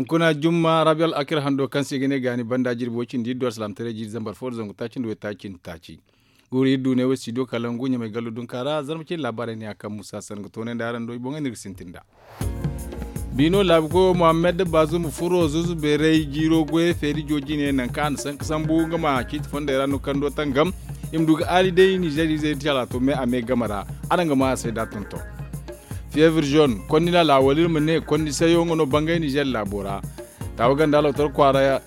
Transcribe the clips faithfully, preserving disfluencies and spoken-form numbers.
Kuna jumma rabi al'akir hando kaŋ se i ga ne gaani banda jirbi way cindi iddu alsalaamtaray jiiri zambar fo da zangu taaci nda way taaci nda taaci. Guuru iri du ne way studio kalangu ɲamay gallo dunka ra zarma cine laabaarey ne a kaŋ musa sanda ga toonandi araŋ do i boŋey no iri ga sintin nd'a. Biino laabu koyo muhammad baazum furo zuuzu beeray jiiro goyey feeri joo jine nangu kaŋ a na sanka sambu nga ma ciiti fondey ra no kando tangam. I ma du ga aali day nizer izey da calaato me a me game ra. Araŋ ga maa a se da tonton. Fiyeevir zone konni laala wala iri ma ne konni sayo nga no bangay nizer laabo ra. Taawa ganda lawtar kwaara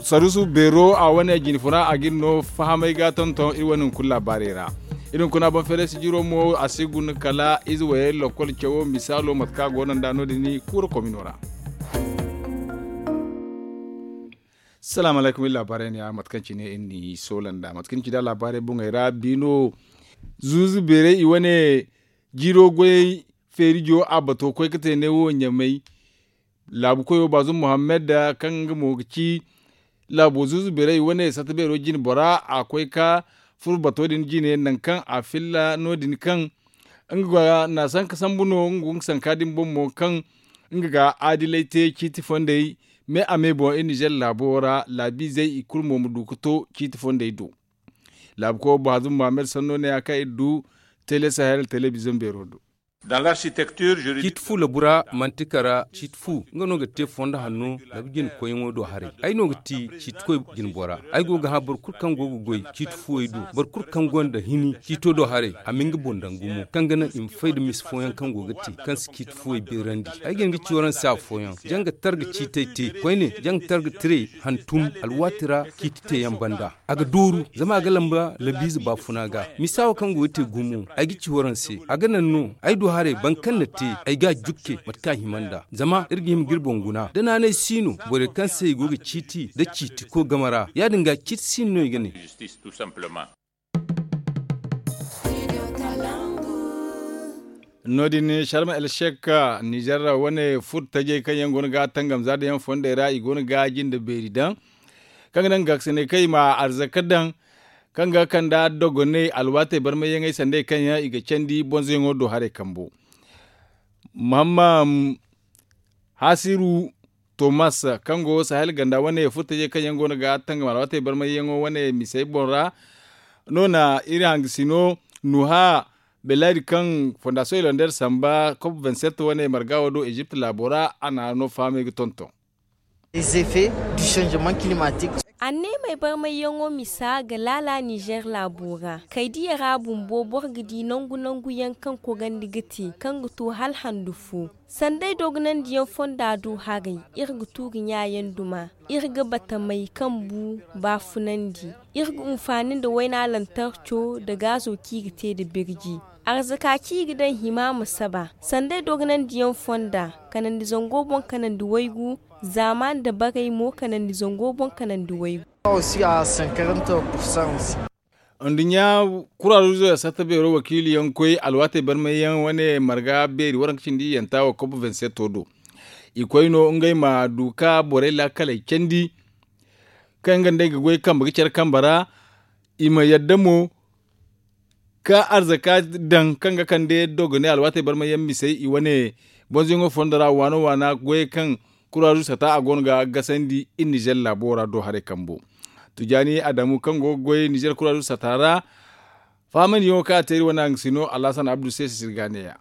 sarusu beero a wane jine funa a ga iri no fahamay ga tonton iri wane hunkuna laabaarey ra. Iri hunkuna boŋ feeray sijiro mo a si guna kala ize wayey lakkol cawo misaalo mate kaŋ a go no nd'a no- din kuura komino ra. Salaamu alaykum iri laabaarey ne ya mate kaŋ cine iri n'i soola nd'a mate kaŋ ni ci nd'a laabaarey boŋey ra biino zuuzu beerey i wane jiiro goyey feeri joo a bato koy ga te ne wo ɲamay. Laabu koyo baazum muhammad kaŋ nga mo ga ci laabo zuuzu beerey i wane satta beero jine bora a koy ka furo bato din jine nangu kaŋ a filla no- din kaŋ nga ga na sanka sambu no nga go nga sanka din boŋ mo kaŋ nga ga aadilay te ciiti fondey me a me boŋ iri nizer laabo ra laabiizey i kulu mo ma du ga to ciiti fondey do. Laabu koyo baazum muhammad sanno ne ya kaŋ iri du tele sahel telebiziyoŋ beero do. Ciiti fu labu ra manti kara ciiti fu nga no ga te fondo hanno labu jine koyyaŋo do haray ay no ga ti ciiti koy jine bora. Ay go ga hã boro kulu kaŋ go ga goy ciiti fuwey do boro kulu kaŋ gonda hini ciito do haray a ma nga boŋ daŋ gumo kaŋ ga naŋ i ma fay nda misa fooyaŋ kaŋ go ga te kaŋ si ciiti fuwey beerandi. Ay ga hin ga ci waraŋ se afooyaŋ jaŋ ga targa ciitey te koyne jaŋ ga targa tire hantum alwaati ra ciiti teeyaŋ banda. A ga dooru zama a ga lamba labiize baafuna ga misa wo kaŋ go ga te gumo ay ga ci waraŋ se a ga naŋ no ay du haray boro kaŋ na te ay ga a jukke mate kaŋ a hima nd'a zama iri ga hima ga iri boŋ guna da naanay si no borey kaŋ se i go ga ciiti nda ciiti koy game ra ya- din ga ciiti si no no i ga ne. No- din sharma el shek nizer wane furo tajey kaŋ yaŋ go no ga tangam za da yaŋ fondey ra i go no ga jinde beeri daŋ kaŋ ga naŋ ga gaakasinay kaŋ i ma arzaka daŋ kaŋ ga kand'a dogonay alwaatey barmayyaŋey sanda i kaŋ yaŋ i ga candi bonzoyaŋo do haray kambo. Mahamma hasiru tomas kaŋ go sahel ganda wane furtajey kaŋ yaŋ go no ga tangam alwaatey barmayyaŋo wane misey boŋ ra no na iri hangasino nuha belaydi kaŋ fondasiyoŋ ilandar samba kop vingt-sept wane marga wo do ezipt laabo ra a na no fahamay ga tonton. Anneemey barmayyaŋo misa ga laala nizer laabo ra kaydiya ra bumbo boro ga di nangu nangu yaŋ kaŋ kogandi ga te kaŋ ga to hala handu fo. Sanday dogonandiyaŋ fonda do haray iri ga tuuri ɲaayaŋ duma iri ga batamey kambu baafunandi. Iri ga hunfaani nda wayna lantarco nda gaazo kaŋ i ga te nda birji. Arzaka kaŋ i ga daŋ hima ma saba sanday dogonandiyaŋ fonda kanandi zango boŋ kanandi waygu. Zaamaani dabarey mo kanandi zango boŋ kanandi waygu. Nduɲɲa kuraruuzo ya satta beero wakiiliyaŋ koy alwaatey barmayyaŋ wane marga beeri waranka cindi iyanta wa kob vingt-sept do. I koy no ngey ma du ka borey laakaley candi kaŋ nga nd'ey ga goy kambe ga care kambe ra. I ma yadda mo ka arzaka daŋ kaŋ ga kande dogonay alwaatey barmayyaŋ misey i wane bonzoyaŋo fondo ra waano waana goyey kaŋ kuraruuzo sata a go no ga gasandi iri nizer laabo ra do haray kambo. Tujaani adamu kaŋ go ga goy nizer kuraruuzo sata ra. Faamandiyaŋo kaŋ a te iri wane hangasino alhasan abdu se sisir ga neeya.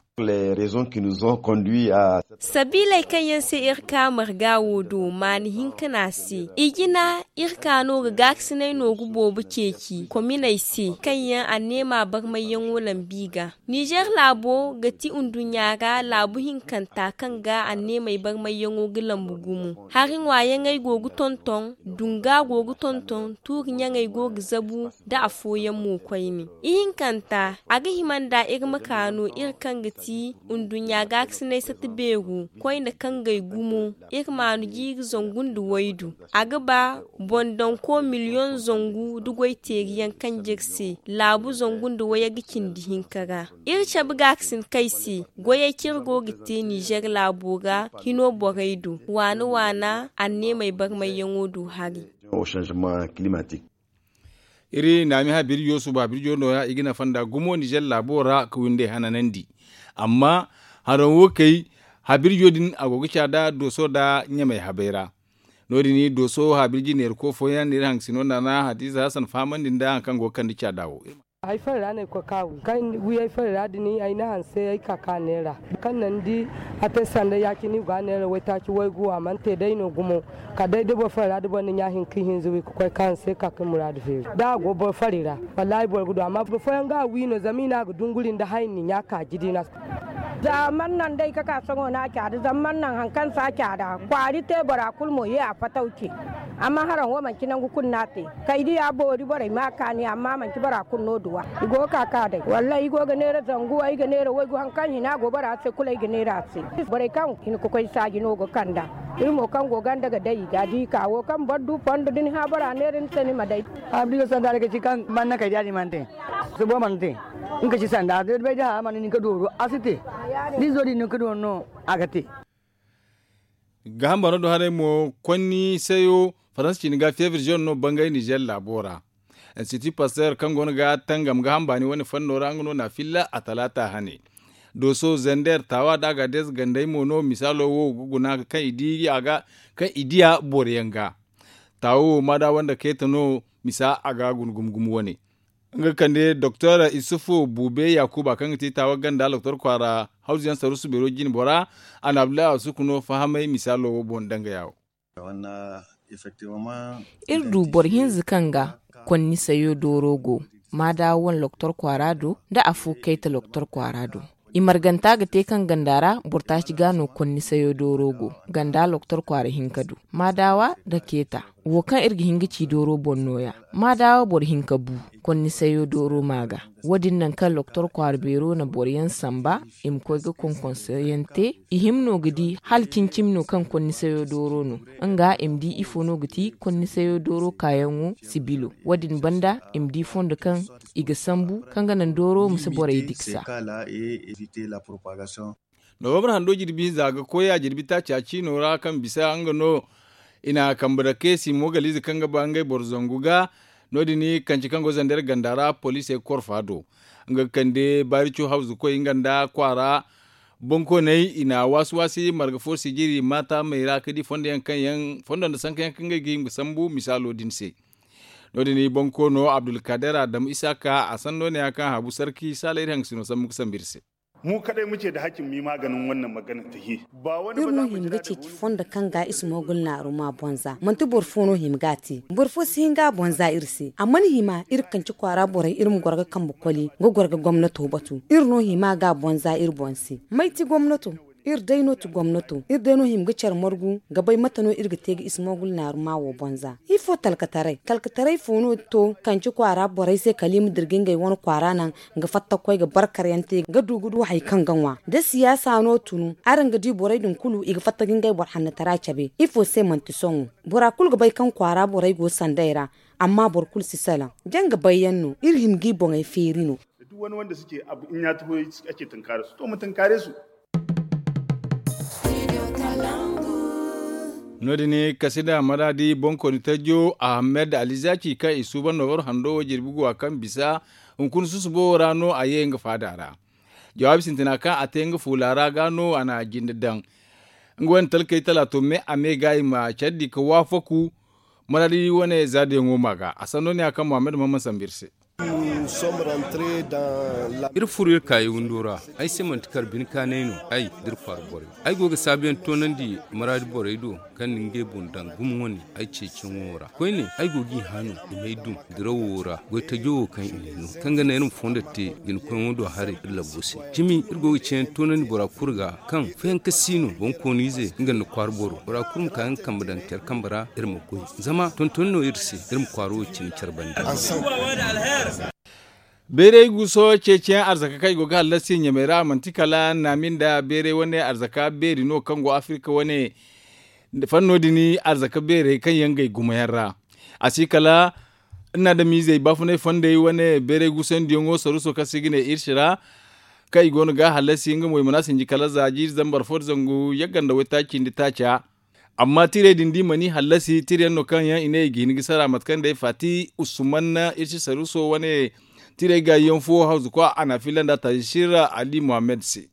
Sabiiley kaŋ yaŋ se iri ka marga wo do maani hinka no a se. I jina iri ka no ga gaakasinay nooru boobo ceeci kominey se kaŋ yaŋ anneema barmayyaŋo lambi ga. Nizer laabo ga ti nduɲɲa ra laabu hinkanta kaŋ ga anneemey barmayyaŋo ga lambu gumo. Hari ŋwaayaŋey go ga tonton, dunga go ga tonton, tuuri ɲaŋey go ga zabu nda afooyaŋ mo koyne. Ihinkanta a ga hima nda iri ma ka no iri kaŋ ga ti nduɲɲa gaakasinay sata beeru koyne kaŋ gay gumo. Iri maanu jiiri zangu nda waydu a ga ba boŋ danko miliyoŋ zangu nda goyteeriyaŋ kaŋ jire se laabu zangu nda wayey ga cindi hinka ra. Iri cabe gaakasin kay se goyey kaŋ iri go ga te nizer laabo ra hino borey do waana waana anneemey barmayyaŋo do hari. Iri naami habirjo suba habirjo nooya i ga nafa nda gumo nizer laabo ra ka windey hananandi. Amma haraŋ wo kay Habirjo din a go ga caada dooso nda ɲamay habay ra. No- din dooso habirji neerako fooyaŋ no iri haŋ ga sino nda ra hadiza hasan fahamandi nda hari kaŋ go ga kande caada wo. Ay fari ra no ay koy ka wi kaŋ wi ay fari ra din ay na hanse ay ka ka neera kaŋ naŋ ni di a te sanda ya- cine i go ga a neera waytaaci waygu a mana te day no gumo. Kala day da boro fari ra da boro na ɲa hinka ihinza wi ga koy ka hanse ka ga muraadu feeri da a go boro fari ra. Wallaahi boro ga du amma boro fooyaŋ ga a wi no zama i ne a ga dunguri nda hayni ɲa kaaji di no. Za man naŋ day ga ka sohõ no a caada zama man naŋ hari kaŋ si a caada kwaari te bora kulu mo ye a fataw ce. Amma haraŋ wo manti nangu kulu no a te. Kay diya boori borey ma a kaani amma manti bora kulu no duwa. I go ga ka ka day wallaahi i go ga neera zangu ay ga neera waygu hari kaŋ hina go bora se kulu ay ga neera a se. Borey kaŋ hin ga koy saaji no ga kand'a. Iri mo kaŋ go ganda ga day i ga di ka wo kaŋ boro du fondo da ni hã bora neera ni se ni ma day. Abdiga sanda ga ci kaŋ manna kay diya ni mana te. Subo mana te. Nga ci sanda da bay da hã mana nin ga dooro a si te. Ni zo din no ga dooro no a ga te. Ga hambano do haray mo konni sayo faransa cini ga febriziyon no bangay nizer laabo ra. Institut pasteur kaŋ go no ga tangam ga hambani wane fanno ra nga no na filla a talaata hane. Dooso zender taawa da a ga deeza gandey mo no misaalo wo ga guna kaŋ i di a ga kaŋ i diya boro yaŋ ga. Taawo wo maada wanda keeta no misa a ga guna gumo gumo wane. Nga ga kande doktor isufu buube yaakuba kaŋ ga ti taawa ganda doktor kwaara hawzu yaŋ sarusu beero jine bora. A na abdullahi asuku no fahamay misaalo wo boŋ danga yaawo. Iri du boro hinza kaŋ ga konni sayo dooro go maada wane loktor kwaara do nda afo kayta loktor kwaara do. I marganta ga te kaŋ ganda ra boro taaci ga no konni sayo dooro go ganda loktor kwaara hinka do maadawa nda keeta. Wo kaŋ iri ga hin ga ci dooro boŋ nooya maadawa boro hinka bu konni sayo dooro ma ga. Wo- din naŋ kaŋ loktor kwaara beero na boro yaŋ samba i ma koy ga konkonso yaŋ te. I hima no ga di hala cimi-cimi no kaŋ konni sayo dooro no. Nga i ma di ifo no ga ti konni sayo dooro kaayaŋo sibilo. Wo- din banda i ma di fondo kaŋ i ga sambu kaŋ ga naŋ dooro ma si borey diksa. Nowambar hando jirbi hinza ga koy a jirbi taaci a ciino ra kaŋ bisa nga no i na kambe dake simo galize kaŋ ga ba ngey boro zangu ga. No- din kanci kaŋ go zander ganda ra poliisey ga korfa do. Nga ga kande baarico hawzu koy nga nda kwaara bonkooney i na waasi waasi marga fo sijiri maata may ra ga di fondo yaŋ kaŋ yaŋ fondo nda sanka yaŋ kaŋ ngey ga hima ga sambu misaalo din se. No- din bonkoono abdulkader adamu isaaka a sanno ne ya kaŋ habu sarki saala iri haŋ ga sino sambu ga sambu iri se. Mu kaday mu ce da hakkin mi maganin wannan magana ta he. Iri no hima ga ceeci fondo kaŋ ga ismogul naaru ma bonza manti boro fo no hima ga a te. Boro fo si hin ga a bonza iri se a mana hima iri kanci kwaara borey iri ma goro ga kambe koli ga goro ga gomnato batu. Iri no hima ga a bonza iri boŋ se. May ti gomnato? Iri day no ti gomnato iri day no hima ga care margu ga bay mate no iri ga te ga ismogul naaru ma wo bonza. Ifo talkataray talkataray fo no to kanci kwaara borey se kala i ma dira ga ngey wane kwaara naŋ ga fatta ga koy ga barkar yaŋ te ga du ga du hari kaŋ ga ŋwa da siyaasa no tunu araŋ ga di borey din kulu i ga fatta ga ngey boro hannatara cabe ifo se manti sohõ. Bora kulu ga bay kaŋ kwaara borey go sanday ra. Amma boro kulu si salaŋ jaŋ ga bay yaŋ no iri hima ga i boŋey feeri no. Da duk wani wanda suke abu in ya taho ake tunkara su to mu tunkare su. No- din kasida maradi bonkoni tajjo ahmed ali zaki kaŋ i suuban no war hando wo jirbi guwa kaŋ bisa hunkuna susubo ra no a ye nga faada ra. Jawaabi sintina kaŋ a te nga fuula ra ga no a na jinde daŋ. Nga wane talkey talaato me a me ga i ma care di ga waafaku. Maradi wane zaadiyaŋo ma ga a sanno ne ya kaŋ muhammad muhammad sambu iri se. Iri furo iri kaayi windo ra. Ay se manti kar bine kaanay no ay da iri kwaara borey. Ay go ga saabuyaŋ toonandi maraadi borey do kaŋ na ngey boŋ daŋ gumo wane ay ceeciyaŋo ra koyne ay go g'i hã no i m'ay dum dirawo ra goy tajo wo kaŋ i n'ay no kaŋ ga naŋ iri ma fondo te jinakoyyaŋo do haray iri labbo se. Cimi iri go ga ceeyaŋ toonandi bora kulu ga kaŋ fayanka si no boŋkooniize nga nda kwaara boro bora kulu ma ka nga kambe daŋ care kambe ra iri ma goy. Zama tontoni no iri se iri ma kwaaro wo cine care banda. Bayray guuso ceeciyaŋ arzaka kaŋ i go ga hallasi ɲamey ra manti kala naami nda bayray wane arzaka beeri no kaŋ go afirika wane. Fanno din arzaka beerey kaŋ yaŋ gay gumo yaŋ ra. A si kala nna adamizey baafunay fondey wane bayray guusandiyaŋo saruso kaŋ se i ga ne irsi ra. Kaŋ i go no ga hallasi nga mo i mana sinji kala za jiiri zambar fo nda zangu yagga nda waytaaci cindi taaca. Amma tirey din da i mana i hallasi tirayaŋ no kaŋ yaŋ i ne i ga hin ga sara mate kaŋ day faati usman irsi saruso wane. Tirey gaayiyaŋ fo hawzu kwa a na a filla nda taasir ali muhammad se.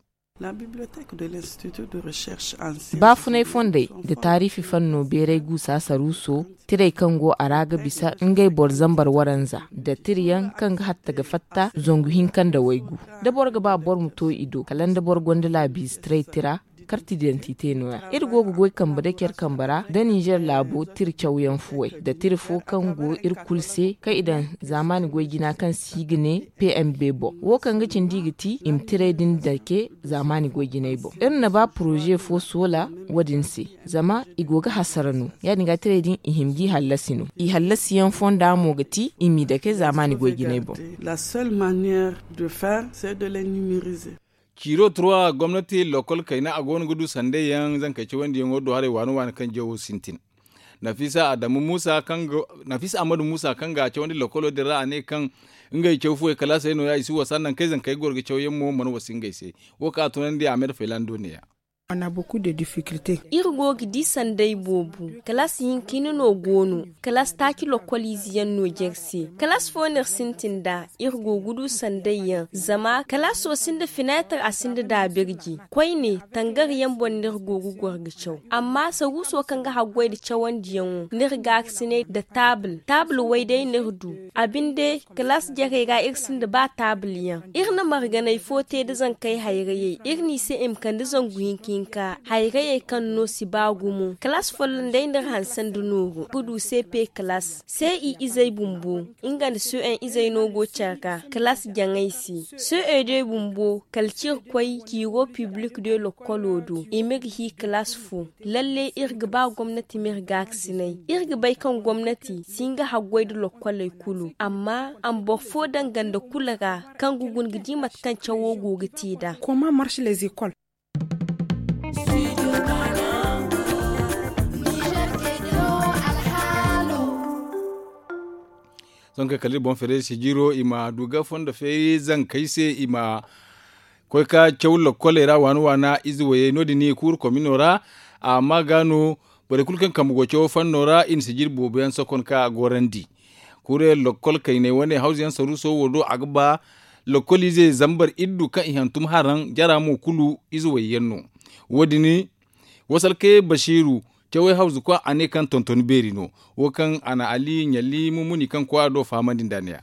Baafunay fondey nda taariifi fanno beeray guusa saruuso, tirey kaŋ go a ra ga bisa ngey boro zambar waranza nda tirayaŋ kaŋ ga hatta ga fatta zangu hinka nda waygu. Da boro ga ba boro ma to i do kala nda boro gonda laabiize taray tira, karti didantite no- ya iri go ga goy kambe da care kambe ra nda ninzeer laabo tira cawyaŋ fuwey nda tira fo kaŋ go iri kulu se kaŋ i daŋ zaamaani goy jina kaŋ se i ga ne p m b boŋ. Wo kaŋ ga cindi i ga ti i ma tiray din dake zaamaani goy jinay boŋ. Iri na ba poroze fo soola wo- din se, zama i go ga hasara no. Ya- din ga tiray din i hima g'i hallasi no. I hallasiyaŋ fonda mo ga ti i m'i dake zaamaani goy jinay boŋ. Ciiro turwa gomnati lokol kayna a go no ga du sanday yaŋ zankey cawandiyaŋo do haray waani waani kaŋ jawo sintin. Nafisa ahmadu musa kaŋ ga a cawandi lokolo din ra a ne kaŋ ngey caw fuwey kalaasey no- ya i si wasa naŋ kaŋ ay zankey ga goro ga cawyaŋ mo mana wasa ngey se. Wo kaŋ a tunandi a ma iri faylando ne- ya. Iri go ga di sanday boobo. Kalaas hinka hinne no go no. Kalaas taaci lokoliize yaŋ no jare se. Kalaas fo no iri sintin nd'a. Iri go ga du sanday yaŋ zama kalaaso sinda fineetar a sinda daabirji. Koyne tangar yaŋ boŋ no iri go ga goro ga caw. Amma saruuso kaŋ ga haggoy nda cawandiyaŋo no iri gaakasinay nda taabil taabil way day no iri du. A binde kalaas jarey ra iri sinda ba taabil yaŋ. Iri na marganay fo te nda zankey hayrayey iri n'i se i ma kande zangu hinka hinka hayrayey kaŋ no si ba gumo kalaas folloŋ day no iri hanse nda nooru ga du se pe kalaas se i izey bumbo. Nga nda so'en izey no go care ga kalaas jaŋay se. So'e de bumbo kala cire koy ciiro piblik de lokkolo do i m'iri hi kalaas fo. Lalle iri ga ba gomnati m'iri gaakasinay. Iri ga bay kaŋ gomnati si nga haggoy nda lokkoley kulu amma a ma boro fo danga nda kulu ra kaŋ ga guna ga di mate kaŋ cawo go ga te nd'a. Sohõ kay kala iri boŋ feeray sijiro i ma du ga fondo feeri zankey se i ma koy ka caw lokkoley ra waana waana ize wayey no- din kuuru komino ra. Amma ga no borey kulu kaŋ kambe go cawo fanno ra i na sijiri boobo yaŋ sokon ka gorandi. Kuurey lokkol kayney wane hawzu yaŋ saruuso wo do a ga ba lokkol ize zambar iddu kaŋ i hantum haraŋ jara mo kulu ize wayyaŋ no. Wo- din wasalkey basiiru cawey hawzu kwa a ne kaŋ tontoni beeri no. Wo kaŋ a na ali ɲalli mumuni kaŋ kwaara do fahamandi nda a ne- ya.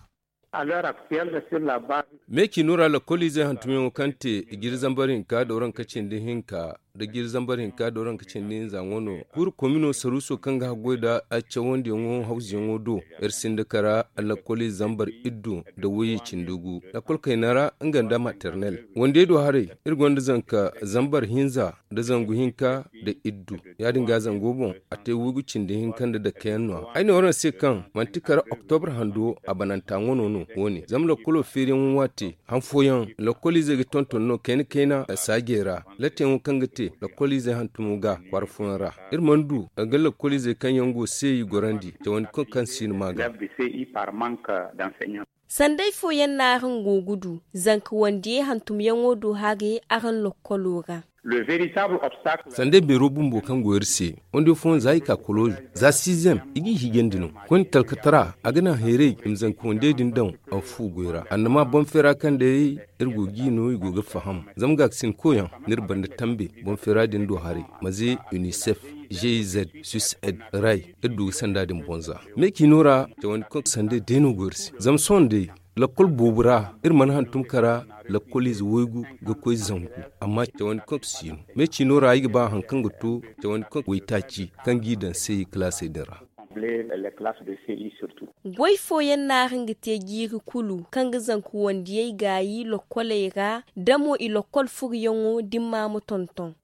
Me ciino ra lakkoliizey hantumyaŋo kaŋ te jiiri zambar hinka da waranka cindi hinka da jiiri zambar hinka da waranka cindi hinza ŋwa no. Kuuru komino saruuso kaŋ ga haggoy nda a cawandiyaŋo hawzuyaŋo do iri sinda kara lakkoliize zambar iddu nda wayye cindi gu lakkol kayna ra nga nda maternel wandey do haray. Iri gonda zanka zambar hinza nda zangu hinka nda iddu. Ya- din ga zango boŋ a te waygu cindi hinka nda dake yaŋ no- ya ay ne waraŋ se kaŋ manti kara oktobre hando a bananta ŋwano no. Wo- ne zama lakkolo feeriyaŋo waati han fooyaŋ lakkoliizey ga tonton no kayna kayna saajey ra. Latteyaŋo kaŋ ga te lakkoliizey hantumo ga kwaara fooyaŋ ra. Iri mana du ga lakkoliizey kaŋ yaŋ go seeyi gorandi cawandi kaŋ kaŋ si no ma ga. Sanday fooyaŋ no araŋ go ga du zanka wandiyey hantumyaŋo do haray araŋ lokkolo ra. Sanday beero bumbo kaŋ go iri se wande fooyaŋ za i ka kolozi za siizem i g'i hiijandi no. Koyne talkatara a ga naŋ hayray i ma zanka wandiyey din daŋ a fu goy ra annama boŋ feera kaŋ day iri go g'i no i go ga faham. Zama gaakasin koyaŋ n'iri banda tambe boŋ feera din do haray maze unicef, gez, suiced, ray iri du ga sanda din boŋ za. Me ciino ra cawandi kaŋ sanday day no go iri se zama sohõ day lakkol boobo ra iri mana hantum kara lakkoliize waygu ga koy zangu. Amma cawandi kaŋ si no me ciino ra ay ga ba hari kaŋ ga to cawandi kaŋ waytaaci kaŋ g'i daŋ se kalaasey din ra. Goy fooyaŋ no araŋ ga te jiiri kulu kaŋ ga zanka wandiyey gaayi lokkoley ra da mo i lokkol furoyaŋo dimma ma tonton.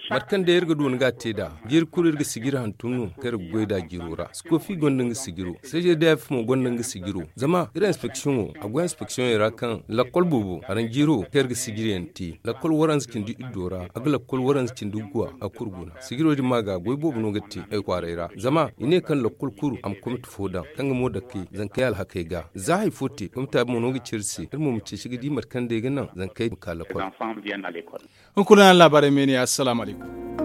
Mate kaŋ day iri ga du ni ga a te nd'a jiiri kulu iri ga sijiri hantum no kaŋ iri ga goy nd'a jiiro ra sikofi gonda nga sijiro. Seje df mo gonda nga sijiro zama iri inspeksiyoŋo a go inspeksiyoŋey ra kaŋ lakkol boobo haraŋ jiiro kaŋ iri ga sijiriyaŋ te lakkol waranza cindi iddo ra a ga lakkol waranza cindi guwa a kulu guna sijiro din ma ga goy boobo no ga te ay kwaaray ra zama i ne kaŋ lakkol kulu a ma komite fo daŋ kaŋ ga mo dake zankey alhakey ga za hari fo te komita mo no ga ci iri se iri mo ma ceeci ga di mate kaŋ day ga naŋ zankey ma ka lakkol. Hunkuna laabaarey meene assalaamu alaykum.